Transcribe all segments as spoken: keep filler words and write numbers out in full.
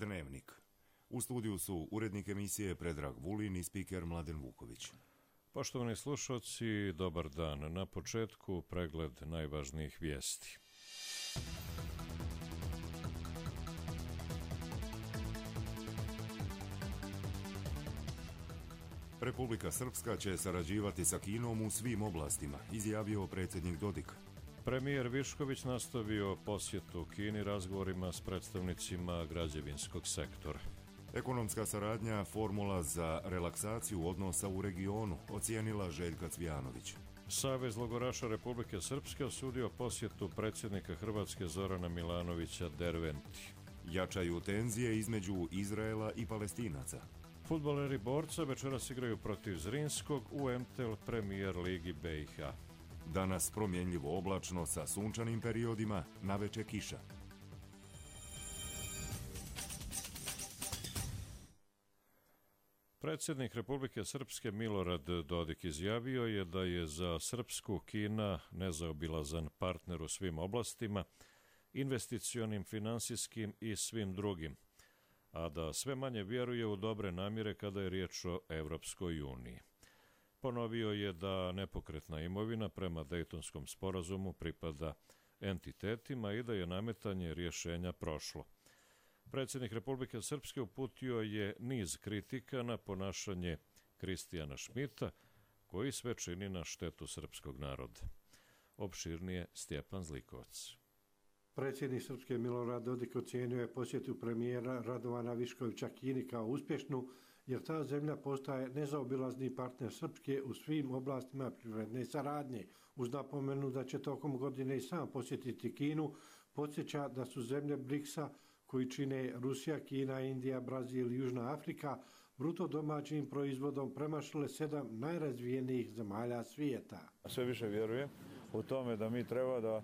Dnevnik. U studiju su urednik emisije Predrag Vulin i spiker Mladen Vuković. Poštovani slušalci, dobar dan. Na početku pregled najvažnijih vijesti. Republika Srpska će sarađivati sa Kinom u svim oblastima, izjavio predsjednik Dodik. Premijer Višković nastavio posjetu Kini razgovorima s predstavnicima građevinskog sektora. Ekonomska saradnja formula za relaksaciju odnosa u regionu, ocijenila Željka Cvijanović. Savez logoraša Republike Srpske osudio posjetu predsjednika Hrvatske Zorana Milanovića Derventi. Jačaju tenzije između Izraela i Palestinaca. Fudbaleri Borca večeras igraju protiv Zrinskog u M T L Premier Ligi B i H. Danas promjenljivo oblačno sa sunčanim periodima, naveče kiša. Predsjednik Republike Srpske Milorad Dodik izjavio je da je za Srpsku Kina nezaobilazan partner u svim oblastima, investicionim, finansijskim i svim drugim, a da sve manje vjeruje u dobre namjere kada je riječ o Evropskoj uniji. Ponovio je da nepokretna imovina prema Dejtonskom sporazumu pripada entitetima i da je nametanje rješenja prošlo. Predsjednik Republike Srpske uputio je niz kritika na ponašanje Kristijana Šmita, koji sve čini na štetu srpskog naroda. Opširnije Stjepan Zlikovac. Predsjednik Srpske Milorad Dodik ocijenio je posjetu premijera Radovana Viškovića Kini kao uspješnu, jer ta zemlja postaje nezaobilazni partner Srpske u svim oblastima privredne saradnje. Uz napomenu da će tokom godine i sam posjetiti Kinu, podsjeća da su zemlje briksa, koji čine Rusija, Kina, Indija, Brazil i Južna Afrika, bruto domaćim proizvodom premašile sedam najrazvijenijih zemalja svijeta. Sve više vjerujem u tome da mi treba da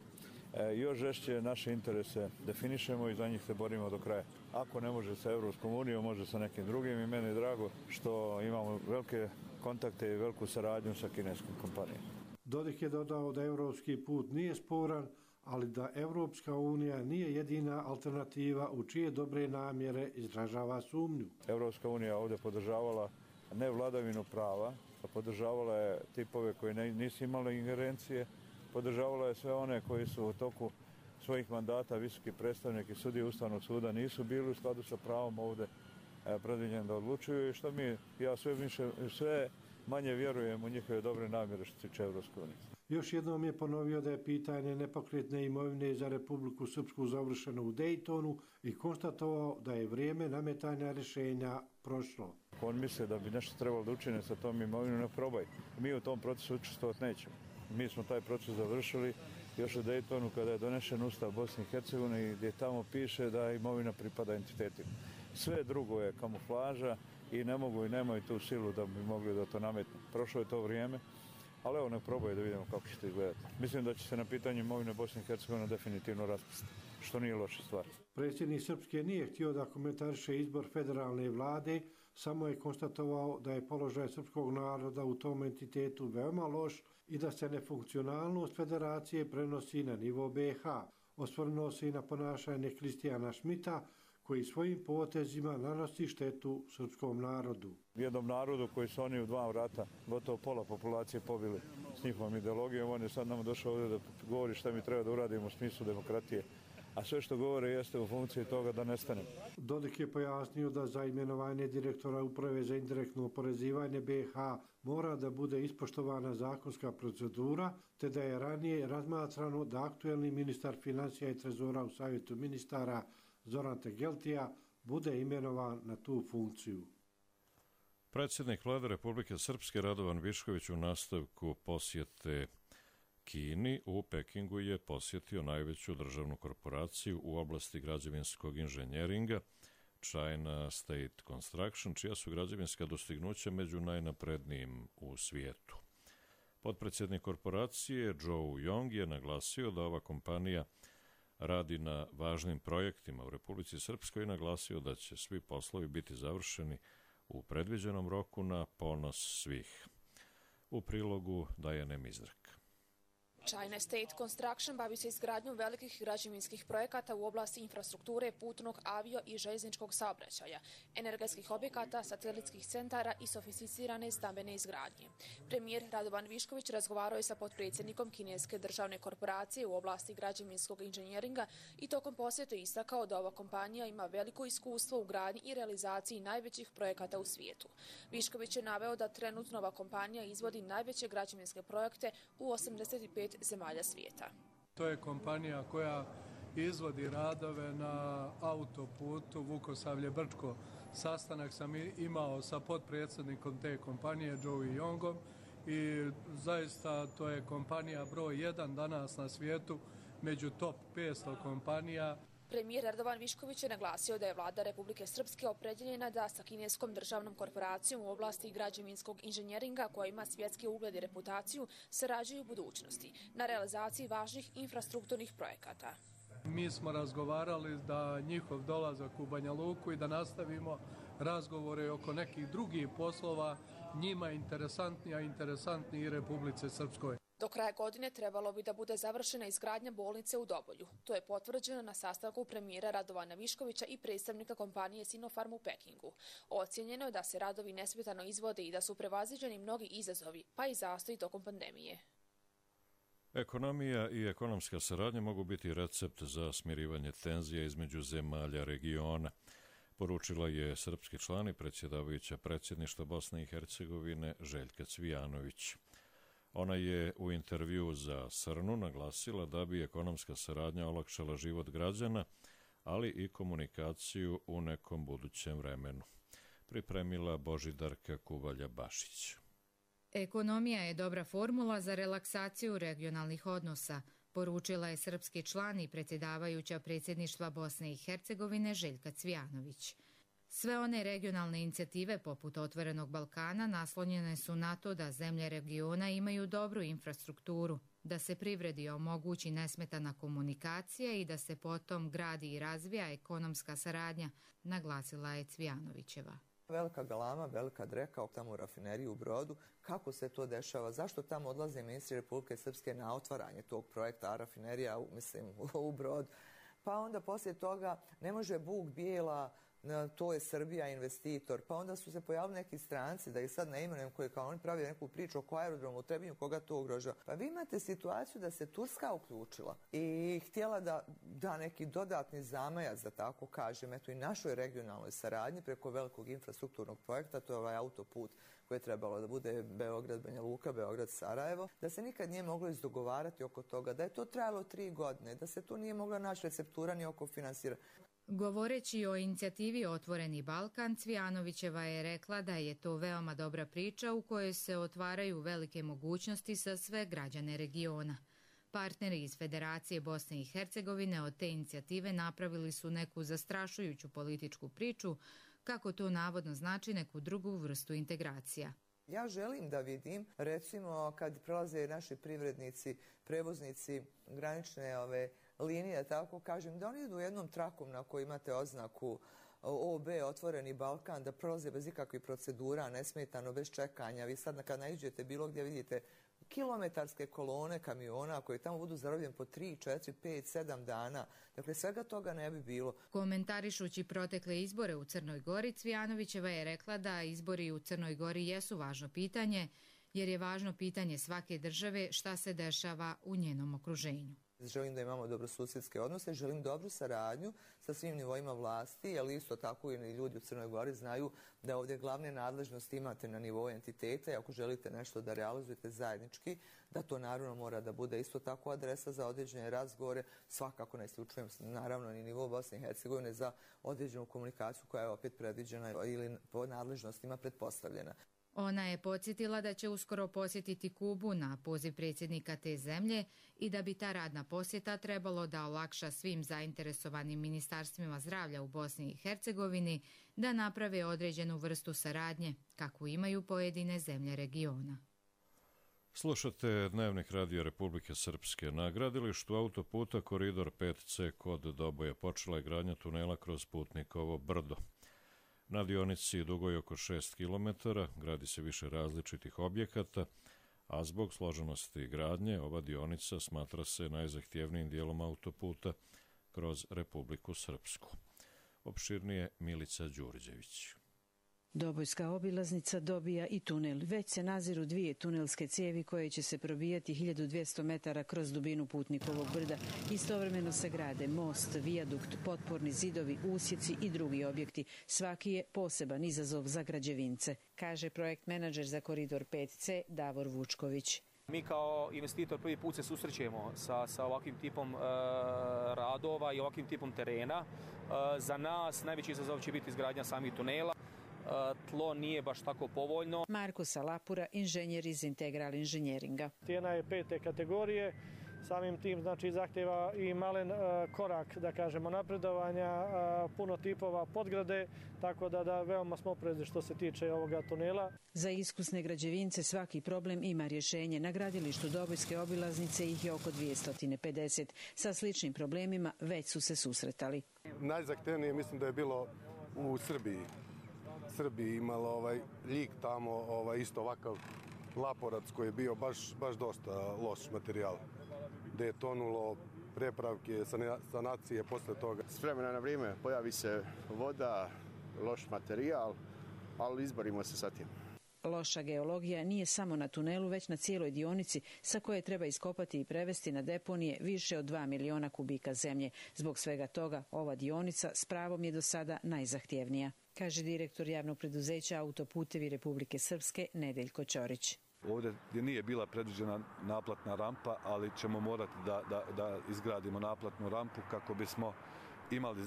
još žešće naše interese definišemo i za njih se borimo do kraja. Ako ne može sa Evropskom unijom, može sa nekim drugim i meni je drago što imamo velike kontakte i veliku saradnju sa kineskom kompanijom. Dodik je dodao da evropski put nije sporan, ali da Evropska unija nije jedina alternativa u čije dobre namjere izražava sumnju. Evropska unija ovdje podržavala ne vladavinu prava, a podržavala je tipove koji nisu imali ingerencije, podržavala je sve one koji su u toku svojih mandata visoki predstavnik i sudije Ustavnog suda nisu bili u skladu sa pravom ovdje predviđeni da odlučuju i što mi, ja sve, više, sve manje vjerujem u njihove dobre namjere što se tiče Evropske unije. Još jednom je ponovio da je pitanje nepokretne imovine za Republiku Srpsku završeno u Dejtonu i konstatovao da je vrijeme nametanja rješenja prošlo. On misle da bi nešto trebalo da učine sa tom imovinom, ne probaj. Mi u tom procesu učestvovati nećemo. Mi smo taj proces završili još u Dejtonu kada je donešen Ustav Bosne i Hercegovine gdje tamo piše da imovina pripada entitetima. Sve drugo je kamuflaža i ne mogu i nemaju tu silu da bi mogli da to nametnu. Prošlo je to vrijeme, ali evo ne probaju da vidimo kako će to izgledati. Mislim da će se na pitanje imovine Bosne i Hercegovine definitivno raspasti, što nije loša stvar. Predsjednik Srpske nije htio da komentariše izbor federalne vlade, samo je konstatovao da je položaj srpskog naroda u tom entitetu veoma loš i da se nefunkcionalnost federacije prenosi na nivo B i H. Osvrnuo se i na ponašanje Kristijana Šmita, koji svojim potezima nanosi štetu srpskom narodu. Jednom narodu koji su oni u dva vrata, gotovo pola populacije pobili s njihovom ideologijom, on je sad nam došao ovdje da govori šta mi treba da uradimo u smislu demokratije. A sve što govore jeste u funkciji toga da nestane. Dodik je pojasnio da za imenovanje direktora Uprave za indirektno oporezivanje B i H mora da bude ispoštovana zakonska procedura, te da je ranije razmatrano da aktuelni ministar financija i trezora u Savjetu ministara Zoran Tegeltija bude imenovan na tu funkciju. Predsjednik Vlade Republike Srpske Radovan Višković u nastavku posjete Kini u Pekingu je posjetio najveću državnu korporaciju u oblasti građevinskog inženjeringa China State Construction, čija su građevinska dostignuća među najnaprednijim u svijetu. Potpredsjednik korporacije Joe Yong je naglasio da ova kompanija radi na važnim projektima u Republici Srpskoj i naglasio da će svi poslovi biti završeni u predviđenom roku na ponos svih. U prilogu Dajane Mizrak. China State Construction bavi se izgradnjom velikih građevinskih projekata u oblasti infrastrukture, putnog, avio i željezničkog saobraćaja, energetskih objekata, satelitskih centara i sofisticirane stambene izgradnje. Premijer Radovan Višković razgovarao je sa potpredsjednikom kineske državne korporacije u oblasti građevinskog inženjeringa i tokom posjeta istakao da ova kompanija ima veliko iskustvo u gradnji i realizaciji najvećih projekata u svijetu. Višković je naveo da trenutno ova kompanija izvodi najveće građevinske projekte u osamdeset pet zemalja svijeta. To je kompanija koja izvodi radove na autoputu Vukosavlje-Brčko. Sastanak sam imao sa potpredsjednikom te kompanije, Joey Yongom, i zaista to je kompanija broj jedan danas na svijetu među top petsto kompanija. Premijer Radovan Višković je naglasio da je vlada Republike Srpske opredjeljena da sa kineskom državnom korporacijom u oblasti građevinskog inženjeringa, koja ima svjetski ugled i reputaciju, sarađuju u budućnosti na realizaciji važnih infrastrukturnih projekata. Mi smo razgovarali da njihov dolazak u Banja Luku i da nastavimo razgovore oko nekih drugih poslova njima interesantniji, a interesantniji i Republice Srpskoj. Do kraja godine trebalo bi da bude završena izgradnja bolnice u Dobolju. To je potvrđeno na sastanku premijera Radovana Viškovića i predstavnika kompanije Sinopharm u Pekingu. Ocijenjeno je da se radovi nesmetano izvode i da su prevaziđeni mnogi izazovi, pa i zastoji tokom pandemije. Ekonomija i ekonomska saradnja mogu biti recept za smirivanje tenzija između zemalja regiona, poručila je srpski član i predsjedavajuća predsjedništva Bosne i Hercegovine Željka Cvijanović. Ona je u intervjuu za Srnu naglasila da bi ekonomska saradnja olakšala život građana, ali i komunikaciju u nekom budućem vremenu. Pripremila Božidarka Kuvalja-Bašić. Ekonomija je dobra formula za relaksaciju regionalnih odnosa, poručila je srpski član i predsjedavajuća predsjedništva Bosne i Hercegovine Željka Cvijanović. Sve one regionalne inicijative poput Otvorenog Balkana naslonjene su na to da zemlje regiona imaju dobru infrastrukturu, da se privredi omogući nesmetana komunikacija i da se potom gradi i razvija ekonomska saradnja, naglasila je Cvijanovićeva. Velika galama, velika dreka tamo u rafineriji u Brodu. Kako se to dešava? Zašto tamo odlaze ministri Republike Srpske na otvaranje tog projekta, a rafinerija, mislim, u Brod? Pa onda poslije toga ne može Bug Bijela, to je Srbija investitor, pa onda su se pojavili neki stranci, da ih sad ne imenujem, koji kao oni pravi neku priču oko aerodromu u Trebinju, koga to ugrožava. Pa vi imate situaciju da se Turska uključila i htjela da da neki dodatni zamajac, da tako kažem, eto i našoj regionalnoj saradnji preko velikog infrastrukturnog projekta, to je ovaj autoput koji je trebalo da bude Beograd-Banja Luka, Beograd-Sarajevo, da se nikad nije moglo izdogovarati oko toga, da je to trajalo tri godine, da se tu nije mogla naći receptura ni oko finansiranja. Govoreći o inicijativi Otvoreni Balkan, Cvijanovićeva je rekla da je to veoma dobra priča u kojoj se otvaraju velike mogućnosti za sve građane regiona. Partneri iz Federacije Bosne i Hercegovine od te inicijative napravili su neku zastrašujuću političku priču, kako to navodno znači neku drugu vrstu integracija. Ja želim da vidim, recimo, kad prelaze naši privrednici, prevoznici, granične ove linije, tako kažem, da oni idu jednom trakom na kojoj imate oznaku O B, Otvoreni Balkan, da prolaze bez ikakvih procedura, nesmetano, bez čekanja. Vi sad kad naiđete bilo gdje vidite kilometarske kolone kamiona koji tamo budu zarobljeni po tri, četiri, pet, sedam dana. Dakle, svega toga ne bi bilo. Komentarišući protekle izbore u Crnoj Gori, Cvijanovićeva je rekla da izbori u Crnoj Gori jesu važno pitanje, jer je važno pitanje svake države šta se dešava u njenom okruženju. Želim da imamo dobrosusjedske odnose, želim dobru saradnju sa svim nivoima vlasti, ali isto tako i ljudi u Crnoj Gori znaju da ovdje glavne nadležnosti imate na nivou entiteta i ako želite nešto da realizujete zajednički, da to naravno mora da bude isto tako adresa za određene razgovore, svakako ne isključujem naravno ni nivou Bosne i Hercegovine za određenu komunikaciju koja je opet predviđena ili po nadležnostima pretpostavljena. Ona je podsjetila da će uskoro posjetiti Kubu na poziv predsjednika te zemlje i da bi ta radna posjeta trebalo da olakša svim zainteresovanim ministarstvima zdravlja u Bosni i Hercegovini da naprave određenu vrstu saradnje, kakvu imaju pojedine zemlje regiona. Slušate Dnevnik Radio Republike Srpske. Na gradilištu autoputa Koridor pet C kod Doboja počela je gradnja tunela kroz Putnikovo brdo. Na dionici dugoj oko šest kilometara gradi se više različitih objekata, a zbog složenosti gradnje ova dionica smatra se najzahtjevnijim dijelom autoputa kroz Republiku Srpsku. Opširnije Milica Đurđević. Dobojska obilaznica dobija i tunel. Već se naziru dvije tunelske cijevi koje će se probijati hiljadu dvjesto metara kroz dubinu Putnikovog brda. Istovremeno se grade most, vijadukt, potporni zidovi, usjeci i drugi objekti. Svaki je poseban izazov za građevince, kaže projekt menadžer za koridor pet ce Davor Vučković. Mi kao investitor prvi put se susrećemo sa, sa ovakvim tipom e, radova i ovakvim tipom terena. E, za nas najveći izazov će biti izgradnja samih tunela. Tlo nije baš tako povoljno. Marko Salapura, inženjer iz Integral inženjeringa. Cijena je pete kategorije, samim tim znači zahtjeva i malen uh, korak, da kažemo, napredovanja, uh, puno tipova podgrade, tako da, da veoma smo oprezni što se tiče ovoga tunela. Za iskusne građevince svaki problem ima rješenje. Na gradilištu Dobojske obilaznice ih je oko dvjesto pedeset. Sa sličnim problemima već su se susretali. Najzahtevnije mislim da je bilo u Srbiji. Srbiji imalo ovaj Ljig tamo, ovaj isto ovakav Laporac koji je bio baš, baš dosta loš materijal. Gde je tonulo prepravke, sanacije posle toga. S vremena na vrijeme pojavi se voda, loš materijal, ali izborimo se sa tim. Loša geologija nije samo na tunelu, već na cijeloj dionici sa koje treba iskopati i prevesti na deponije više od dva miliona kubika zemlje. Zbog svega toga ova dionica s pravom je do sada najzahtjevnija, kaže direktor javnog preduzeća Autoputevi Republike Srpske Nedeljko Ćorić. Ovdje gdje nije bila predviđena naplatna rampa, ali ćemo morati da, da, da izgradimo naplatnu rampu kako bismo imali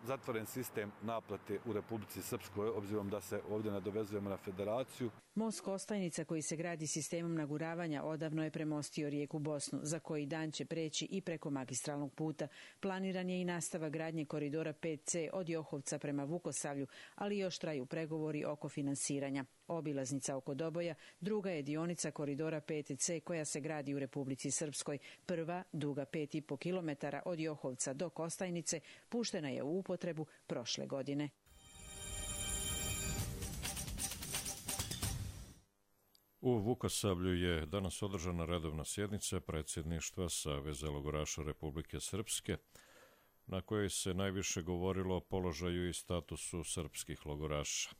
zatvoren sistem naplate u Republici Srpskoj, obzirom da se ovdje nadovezujemo na federaciju. Most Kostajnica koji se gradi sistemom naguravanja odavno je premostio rijeku Bosnu, za koji dan će preći i preko magistralnog puta. Planiran je i nastavak gradnje koridora pet ce od Johovca prema Vukosavlju, ali još traju pregovori oko finansiranja. Obilaznica oko Doboja druga je dionica koridora pet ce koja se gradi u Republici Srpskoj. Prva, duga pet i po kilometara od Johovca do Kostajnice, puštena je u upotrebu prošle godine. U Vukosavlju je danas održana redovna sjednica predsjedništva Saveza logoraša Republike Srpske, na kojoj se najviše govorilo o položaju i statusu srpskih logoraša.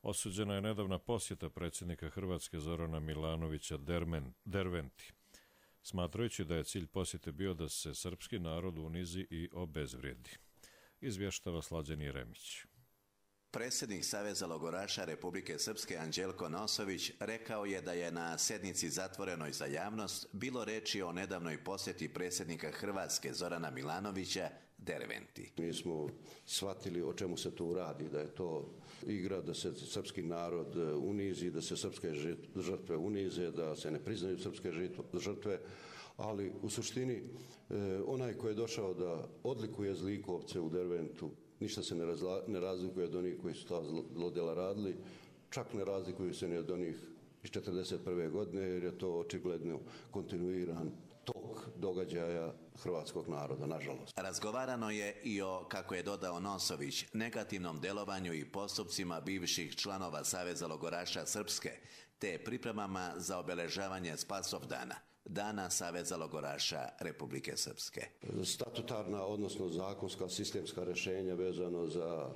Osuđena je nedavna posjeta predsjednika Hrvatske Zorana Milanovića Dermen, Derventi, smatrajući da je cilj posjete bio da se srpski narod unizi i obezvrijedi. Izvještava Slađan Jeremić. Predsjednik Saveza logoraša Republike Srpske Anđelko Nosović rekao je da je na sjednici zatvorenoj za javnost bilo reči o nedavnoj posjeti predsjednika Hrvatske Zorana Milanovića Derventi. Mi smo shvatili o čemu se tu radi, da je to igra da se srpski narod unizi, da se srpske žrtve unize, da se ne priznaju srpske žrtve, ali u suštini onaj koji je došao da odlikuje zlikovce u Derventu, ništa se ne, razla, ne razlikuje od onih koji su ta zlodjela radili, čak ne razlikuju se ni od onih iz četrdeset prve godine, jer je to očigledno kontinuiran tok događaja hrvatskog naroda, nažalost. Razgovarano je i o, kako je dodao Nosović, negativnom delovanju i postupcima bivših članova Saveza logoraša Srpske, te pripremama za obeležavanje Spasovdana, Dana Saveza logoraša Republike Srpske. Statutarna, odnosno zakonska, sistemska rješenja vezano za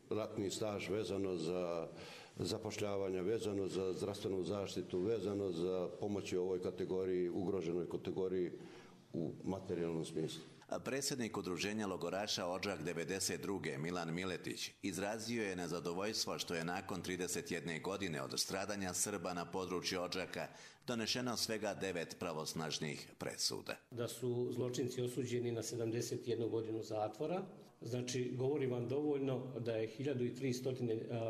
ratni staž, vezano za zapošljavanja, vezano za zdravstvenu zaštitu, vezano za pomoći ovoj kategoriji, ugroženoj kategoriji u materijalnom smislu. Predsjednik udruženja logoraša Odžak devedeset druge Milan Miletić izrazio je nezadovoljstvo što je nakon trideset jedne godine od stradanja Srba na području Odžaka donešeno svega devet pravosnažnih presuda. Da su zločinci osuđeni na sedamdeset jednu godinu zatvora, znači govori vam dovoljno da je hiljadu tristo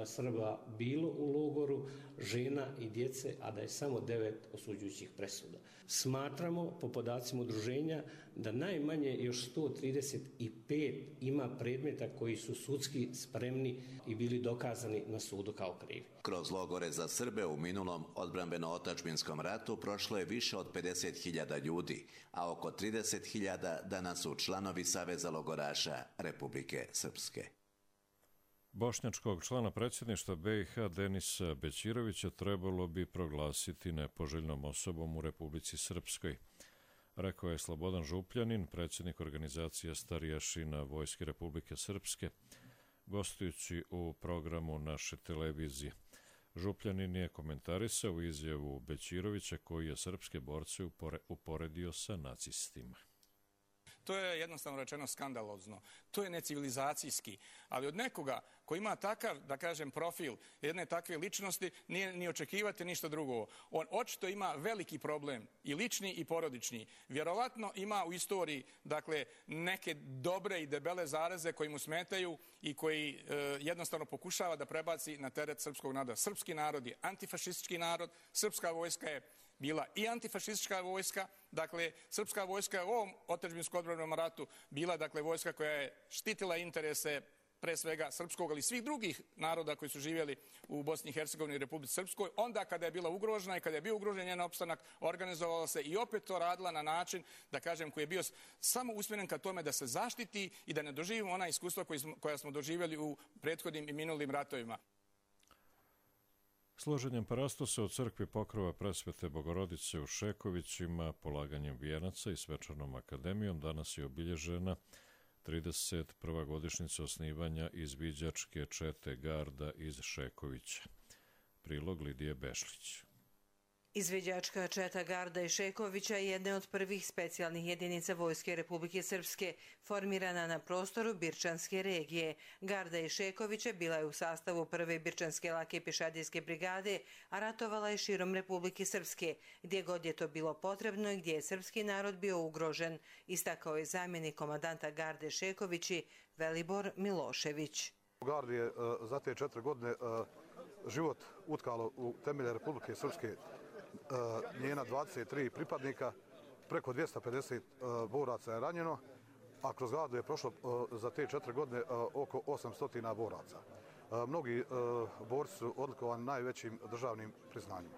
Srba bilo u logoru, žena i djece, a da je samo devet osuđujućih presuda. Smatramo, po podacima udruženja, da najmanje još sto trideset pet ima predmeta koji su sudski spremni i bili dokazani na sudu kao krivi. Kroz logore za Srbe u minulom odbrambeno-otačbinskom ratu prošlo je više od pedeset hiljada ljudi, a oko trideset hiljada danas su članovi Saveza logoraša Republike Srpske. Bošnjačkog člana predsjedništva B i H Denisa Bećirovića trebalo bi proglasiti nepoželjnom osobom u Republici Srpskoj, rekao je Slobodan Župljanin, predsjednik organizacije Starijašina Vojske Republike Srpske, gostujući u programu naše televizije. Župljanin je komentarisao izjavu Bećirovića koji je srpske borce uporedio sa nacistima. To je jednostavno rečeno skandalozno, to je necivilizacijski, ali od nekoga koji ima takav, da kažem, profil jedne takve ličnosti nije ni očekivati ništa drugo. On očito ima veliki problem, i lični i porodični. Vjerovatno ima u istoriji, dakle, neke dobre i debele zareze koji mu smetaju i koji e, jednostavno pokušava da prebaci na teret srpskog naroda. Srpski narod je antifašistički narod, srpska vojska je bila i antifašistička vojska, dakle, srpska vojska je u ovom otadžbinskom odbrambenom ratu bila, dakle, vojska koja je štitila interese pre svega srpskog, ali i svih drugih naroda koji su živjeli u Bosni i Hercegovini i Republici Srpskoj. Onda kada je bila ugrožena i kada je bio ugrožen njen opstanak, organizovala se i opet to radila na način, da kažem, koji je bio samo usmjeren ka tome da se zaštiti i da ne doživimo ona iskustva koji smo, koja smo doživjeli u prethodnim i minulim ratovima. Složenjem parastosa u crkvi Pokrova Presvete Bogorodice u Šekovićima, polaganjem vijenaca i svečanom akademijom danas je obilježena trideset prva godišnjica osnivanja izviđačke čete Garda iz Šekovića. Prilog Lidije Bešlić. Izviđačka četa Garda i Šekovića je jedna od prvih specijalnih jedinica Vojske Republike Srpske, formirana na prostoru Birčanske regije. Garda i Šekovića bila je u sastavu prve Birčanske lake pješadijske brigade, a ratovala je širom Republike Srpske, gdje god je to bilo potrebno i gdje je srpski narod bio ugrožen, istakao je zamjenik komandanta Garde Šekovići Velibor Milošević. Gardi je za te četiri godine život utkalo u temelje Republike Srpske njena dvadeset tri pripadnika, preko dvjesto pedeset boraca je ranjeno, a kroz Gardu je prošlo za te četiri godine oko osamsto boraca. Mnogi borci su odlikovani najvećim državnim priznanjima.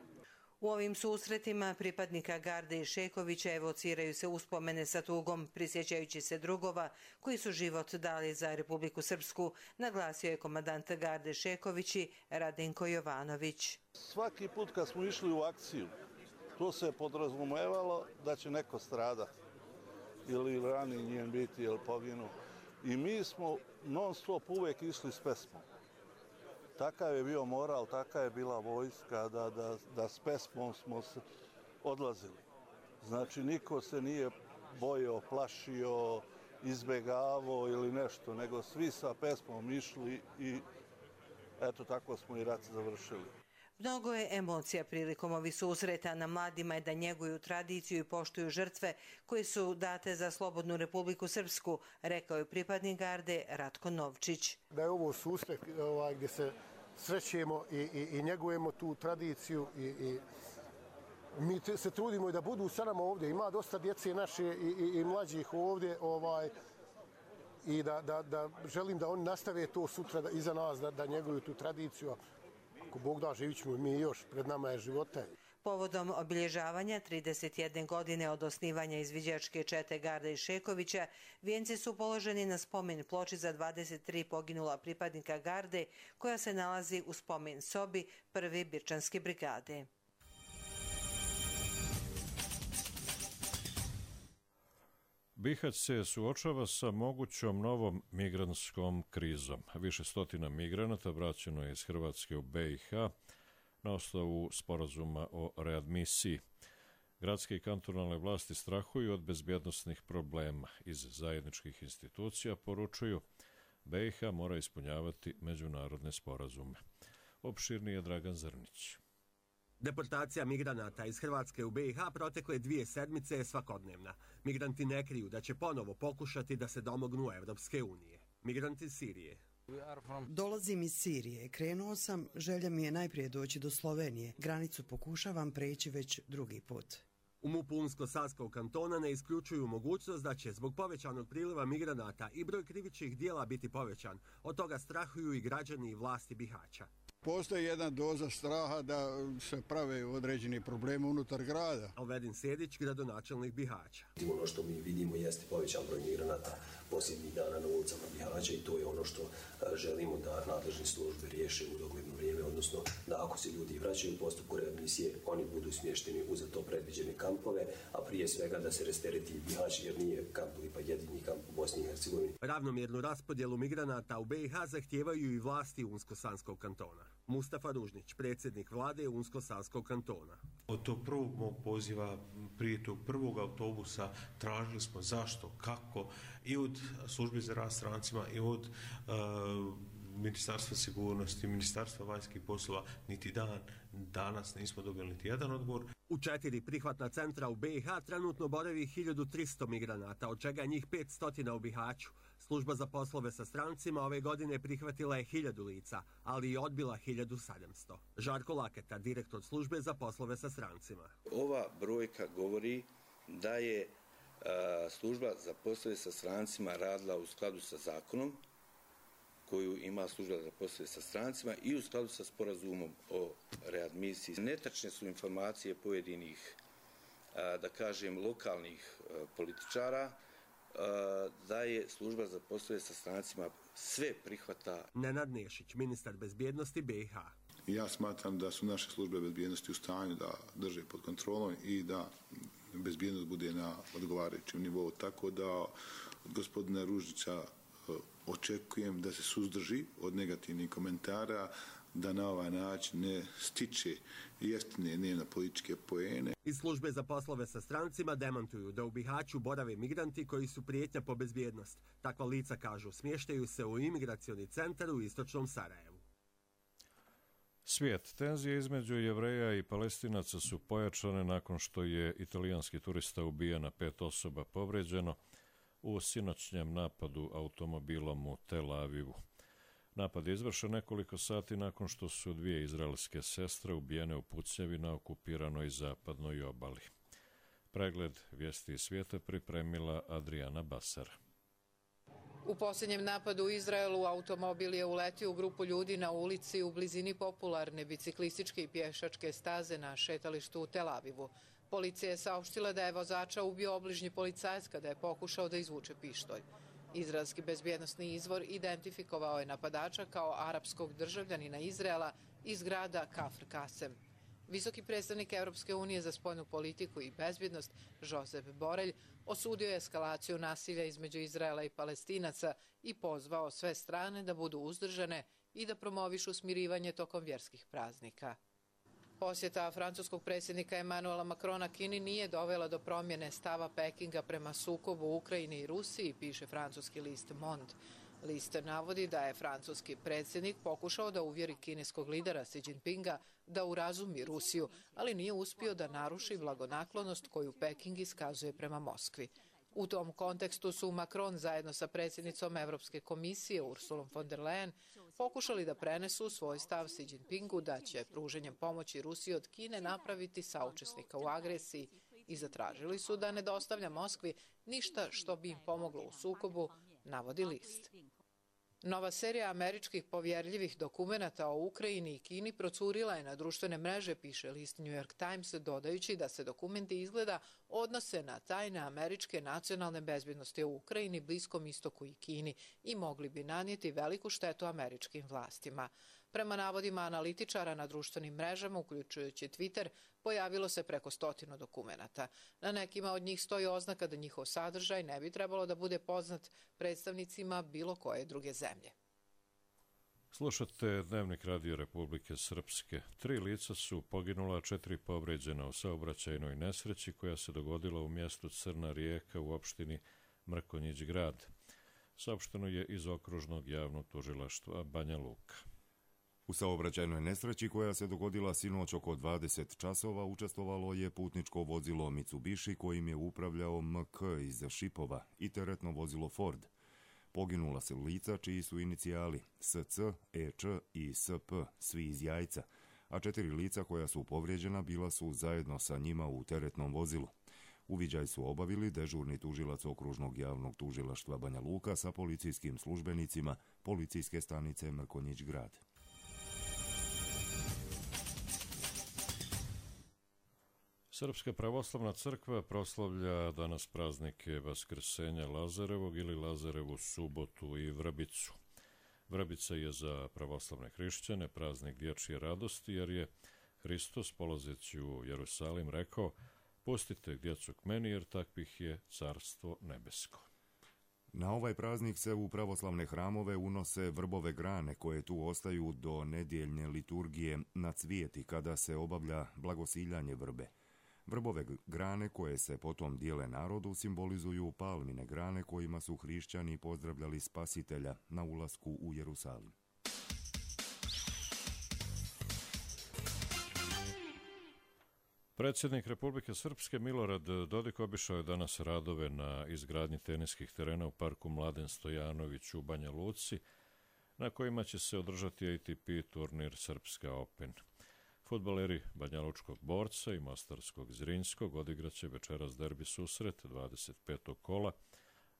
U ovim susretima pripadnika Garde i Šekovića evociraju se uspomene sa tugom, prisjećajući se drugova koji su život dali za Republiku Srpsku, naglasio je komandant Garde Šekovići Radenko Jovanović. Svaki put kad smo išli u akciju, to se podrazumevalo da će neko stradati ili ranjen biti ili poginu. I mi smo non stop uvijek išli s pesmom. Takav je bio moral, takav je bila vojska, da, da, da s pesmom smo odlazili. Znači, niko se nije bojao, plašio, izbjegavao ili nešto, nego svi sa pesmom išli i eto tako smo i rat završili. Mnogo je emocija prilikom ovih susreta. Na mladima je da njeguju tradiciju i poštuju žrtve koje su date za slobodnu Republiku Srpsku, rekao je pripadnik Garde Ratko Novčić. Da je ovo susret ovaj, gdje se srećemo i, i, i njegujemo tu tradiciju i, i mi se trudimo i da budu sa nama ovdje. Ima dosta djece naše i, i, i mlađih ovdje ovaj, i da, da, da želim da oni nastave to sutra da, iza nas, da, da njeguju tu tradiciju. Ako Bog da, živit ćemo mi još, pred nama je života. Povodom obilježavanja trideset jedne godine od osnivanja izviđačke čete Garda i Šekovića, vijenci su položeni na spomen ploči za dvadeset tri poginula pripadnika Garde, koja se nalazi u spomen sobi prve Birčanske brigade. Bihać se suočava sa mogućom novom migrantskom krizom. Više stotina migranata vraćeno je iz Hrvatske u B i H na osnovu sporazuma o readmisiji. Gradske i kantonalne vlasti strahuju od bezbjednosnih problema. Iz zajedničkih institucija poručuju B i H mora ispunjavati međunarodne sporazume. Opširniji je Dragan Zrnić. Deportacija migranata iz Hrvatske u B i H protekle dvije sedmice je svakodnevna. Migranti ne kriju da će ponovo pokušati da se domognu Evropske unije. Migranti iz Sirije. Dolazim iz Sirije. Krenuo sam, želja mi je najprije doći do Slovenije. Granicu pokušavam preći već drugi put. U MUP-u Unsko-Sanskog kantona ne isključuju mogućnost da će zbog povećanog priliva migranata i broj krivičnih dijela biti povećan. Od toga strahuju i građani i vlasti Bihaća. Postoji jedna doza straha da se prave određeni problemi unutar grada. Alvedin Sedić, gradonačelnik Bihaća. Ono što mi vidimo jeste povećan broj migranata posljednjih dana na ulicama Bihaća i to je ono što želimo da nadležne službe riješe u dogledno vrijeme, odnosno da ako se ljudi vraćaju u postupku readmisije, oni budu smješteni u za to predviđene kampove, a prije svega da se rastereti Bihać jer nije kamp ili pa jedini kamp u Bosni i Hercegovini. Ravnomjernu raspodjelu migranata u B i H zahtijevaju i vlasti Unsko-Sanskog kantona. Mustafa Ružnić, predsjednik vlade Unsko-Sanskog kantona. Od tog prvog mog poziva, prije tog prvog autobusa, tražili smo zašto, kako, i od službe za rad strancima, i od uh, Ministarstva sigurnosti, Ministarstva vanjskih poslova, niti dan, danas nismo dobili niti jedan odgovor. U četiri prihvatna centra u B i H trenutno boravi hiljadu tristo migranata, od čega njih petsto u Bihaću. Služba za poslove sa strancima ove godine prihvatila je hiljadu lica, ali i odbila hiljadu sedamsto. Žarko Laketa, direktor službe za poslove sa strancima. Ova brojka govori da je a, služba za poslove sa strancima radila u skladu sa zakonom koju ima služba za poslove sa strancima i u skladu sa sporazumom o readmisiji. Netačne su informacije pojedinih, a, da kažem, lokalnih a, političara da je služba za poslove sa strancima sve prihvata. Nenad Nešić, ministar bezbjednosti B i H. Ja smatram da su naše službe bezbjednosti u stanju da drže pod kontrolom i da bezbjednost bude na odgovarajućem nivou. Tako da od gospodina Ružnića očekujem da se suzdrži od negativnih komentara, da na ovaj način ne stiče jeftine dnevno političke poene. Iz službe za poslove sa strancima demantuju da u Bihaću borave migranti koji su prijetnja po bezbjednost. Takva lica, kažu, smještaju se u imigracioni centar u istočnom Sarajevu. Svijet. Tenzije između Jevreja i Palestinaca su pojačane nakon što je italijanski turista ubijen, a pet osoba povređeno u sinoćnjem napadu automobilom u Tel Avivu. Napad je izvršen nekoliko sati nakon što su dvije izraelske sestre ubijene u pucnjavi na okupiranoj zapadnoj obali. Pregled vijesti svijeta pripremila Adriana Basar. U posljednjem napadu u Izraelu automobil je uletio u grupu ljudi na ulici u blizini popularne biciklističke i pješačke staze na šetalištu u Tel Avivu. Policija je saopštila da je vozača ubio obližnji policajac kada je pokušao da izvuče pištolj. Izraelski bezbjednosni izvor identifikovao je napadača kao arapskog državljanina Izraela iz grada Kafr Kasem. Visoki predstavnik Europske unije za spoljnu politiku i bezbjednost, Josep Borrell, osudio je eskalaciju nasilja između Izraela i Palestinaca i pozvao sve strane da budu uzdržane i da promovišu smirivanje tokom vjerskih praznika. Posjeta francuskog predsjednika Emmanuela Macrona Kini nije dovela do promjene stava Pekinga prema sukobu u Ukrajini i Rusiji, piše francuski list Monde. List navodi da je francuski predsjednik pokušao da uvjeri kineskog lidera Xi Jinpinga da urazumi Rusiju, ali nije uspio da naruši blagonaklonost koju Peking iskazuje prema Moskvi. U tom kontekstu su Macron zajedno sa predsjednicom Europske komisije Ursulom von der Leyen pokušali da prenesu svoj stav Xi Jinpingu da će pruženjem pomoći Rusiji od Kine napraviti saučesnika u agresiji i zatražili su da ne dostavlja Moskvi ništa što bi im pomoglo u sukobu, navodi list. Nova serija američkih povjerljivih dokumenata o Ukrajini i Kini procurila je na društvene mreže, piše list New York Times, dodajući da se dokumenti izgleda odnose na tajne američke nacionalne bezbjednosti u Ukrajini, Bliskom istoku i Kini i mogli bi nanijeti veliku štetu američkim vlastima. Prema navodima analitičara na društvenim mrežama, uključujući Twitter, pojavilo se preko stotinu dokumenata. Na nekima od njih stoji oznaka da njihov sadržaj ne bi trebalo da bude poznat predstavnicima bilo koje druge zemlje. Slušate Dnevnik Radio Republike Srpske. Tri lica su poginula, četiri povređena u saobraćajnoj nesreći koja se dogodila u mjestu Crna Rijeka u opštini Mrkonjić Grad. Saopšteno je iz okružnog javnog tužilaštva Banja Luka. U saobraćajnoj nesreći koja se dogodila sinoć oko dvadeset časova učestvovalo je putničko vozilo Mitsubishi kojim je upravljao M K iz Šipova i teretno vozilo Ford. Poginula se lica čiji su inicijali S C, E Č i S P, svi iz Jajca, a četiri lica koja su povrijeđena bila su zajedno sa njima u teretnom vozilu. Uviđaj su obavili dežurni tužilac okružnog javnog tužilaštva Banja Luka sa policijskim službenicima policijske stanice Mrkonjić Grad. Srpska pravoslavna crkva proslavlja danas praznike Vaskrsenja Lazarevog ili Lazarevu subotu i Vrbicu. Vrbica je za pravoslavne hrišćane praznik dječje radosti, jer je Hristos, polazeći u Jerusalim, rekao: "Pustite djecu k meni, jer takvih je carstvo nebesko." Na ovaj praznik se u pravoslavne hramove unose vrbove grane koje tu ostaju do nedjeljne liturgije na cvijeti kada se obavlja blagosiljanje vrbe. Vrbove grane koje se potom dijele narodu simbolizuju palmine grane kojima su hrišćani pozdravljali Spasitelja na ulasku u Jerusalim. Predsjednik Republike Srpske Milorad Dodik obišao je danas radove na izgradnji teniskih terena u parku Mladen Stojanović u Banja Luci, na kojima će se održati A T P turnir Srpska Open. Fudbaleri Banjalučkog Borca i Mostarskog Zrinjskog odigraće večeras derbi susret dvadeset petog kola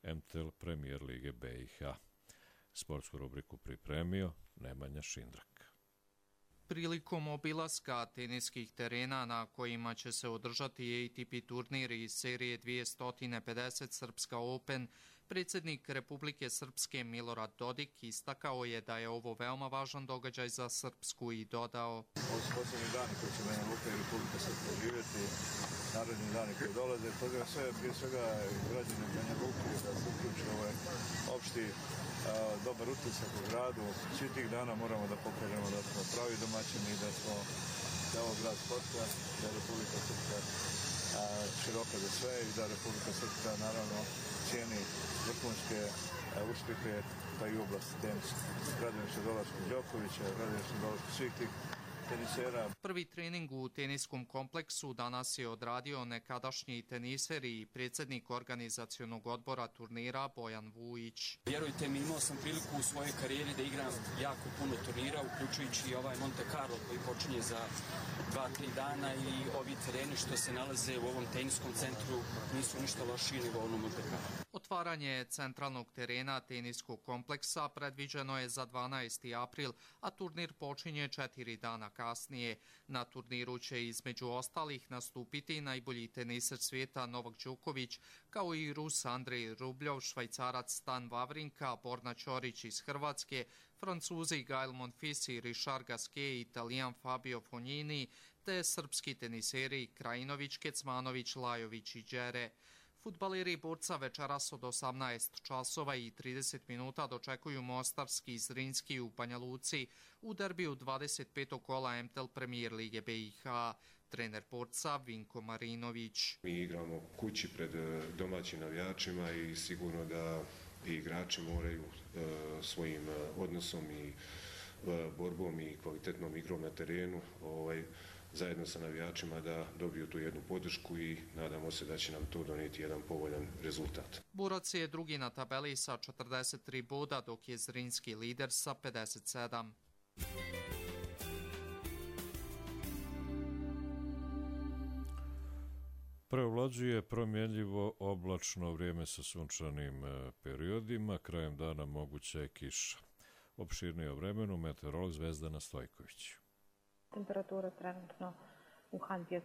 M T L Premier Lige B i H. Sportsku rubriku pripremio Nemanja Šindrak. Prilikom obilaska teniskih terena na kojima će se održati A T P turnir iz serije dvjesto pedeset Srpska Open, predsjednik Republike Srpske Milorad Dodik istakao je da je ovo veoma važan događaj za Srpsku i dodao: "Ovo su posljednji dani koji će Banja Luka i Republika Srpska živjeti, naredni dani koji dolaze, pozivam sve, prije svega građane Banja Luke da se uključe ovaj opšti a, dobar utisak u gradu. Svi tih dana moramo da pokažemo da smo pravi domaćini i da smo da ovo grad sporta, da je Republika Srpska a, široka za sve i da Republika Srpska naravno cijeni vrhunske uspjehe pa i u oblasti tenisa. Radujem se dolasku Đokovića, radujem se dolasku svih tih tenisera. Prvi trening u teniskom kompleksu danas je odradio nekadašnji teniser i predsjednik organizacionog odbora turnira Bojan Vujić. Vjerujte mi, imao sam priliku u svojoj karijeri da igram jako puno turnira, uključujući i ovaj Monte Carlo koji počinje za dva, tri dana, i ovi tereni što se nalaze u ovom teniskom centru nisu ništa lošiji nego ono Monte Carlo. Otvaranje centralnog terena teniskog kompleksa predviđeno je za dvanaesti april, a turnir počinje četiri dana kasnije. Na turniru će između ostalih nastupiti najbolji teniser svijeta Novak Đoković, kao i Rus Andrej Rubljov, Švajcarac Stan Wawrinka, Borna Ćorić iz Hrvatske, Francuzi Gael Monfils i Richard Gasquet, Italijan Fabio Fognini, te srpski teniseri Krajinović, Kecmanović, Lajović i Đere. Fudbaleri Borca večeras od osamnaest časova i trideset minuta dočekuju Mostarski Zrinjski u Banja Luci u derbiju dvadeset petog kola M T L Premier Lige B i H. Trener Borca Vinko Marinović. Mi igramo kući pred domaćim navijačima i sigurno da i igrači moraju e, svojim odnosom i e, borbom i kvalitetnom igrom na terenu ovaj, zajedno sa navijačima da dobiju tu jednu podršku i nadamo se da će nam to donijeti jedan povoljan rezultat. Borac je drugi na tabeli sa četrdeset tri boda, dok je Zrinjski lider sa pedeset sedam. Preovlađuje promjenljivo oblačno vrijeme sa sunčanim periodima, krajem dana moguća je kiša. Opširnije o vremenu meteorolog Zvezdana Stojković. Temperatura trenutno u Hanti je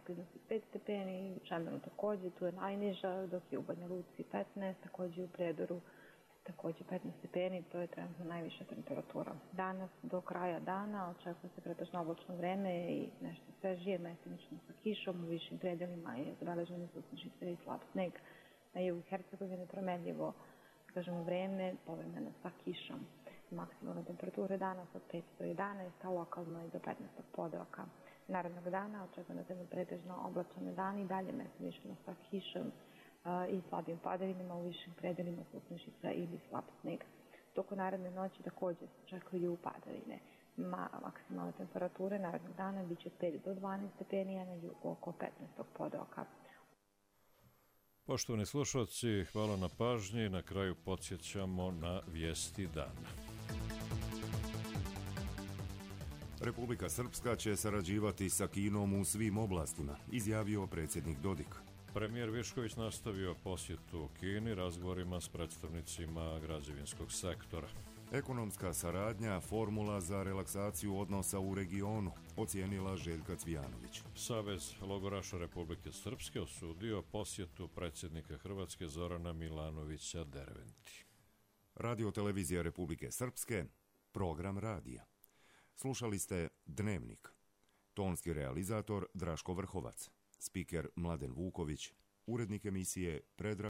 pet stepeni, u Čemenu također, tu je najniža, dok je u Banja Luci petnaest, također u Prijedoru također petnaest stepeni, to je trenutno najviša temperatura. Danas do kraja dana očekuje se pretežno oblačno vreme i nešto svežije, mestimično sa kišom, u višim predelima je zabeleženo susničice i slab sneg. Na jugu Hercegovine promenljivo, kažemo, vreme, povremeno sa kišom. Maksimalne temperature danas od pet do jedanaest, a lokalno i do petnaestog podroka. Narednog dana očekujemo da je pretežno oblačan dan i dalje mestimično sa kišom i slabim padavinama, u višim predelima susničica ili slab sneg. Toko naredne noći također se očekuju padavine. Ma, maksimalne temperature narednog dana bit će pet do dvanaest stepeni, a na jugu oko petnaestog podroka. Poštovani slušalci, hvala na pažnji. Na kraju podsjećamo na vijesti dana. Republika Srpska će sarađivati sa Kinom u svim oblastima, izjavio predsjednik Dodik. Premijer Višković nastavio posjetu Kini razgovorima s predstavnicima građevinskog sektora. Ekonomska saradnja, formula za relaksaciju odnosa u regionu, ocijenila Željka Cvijanović. Savez logoraša Republike Srpske osudio posjetu predsjednika Hrvatske Zorana Milanovića Derventi. Radio televizija Republike Srpske, program radija. Slušali ste Dnevnik. Tonski realizator Draško Vrhovac, spiker Mladen Vuković, urednik emisije Predrag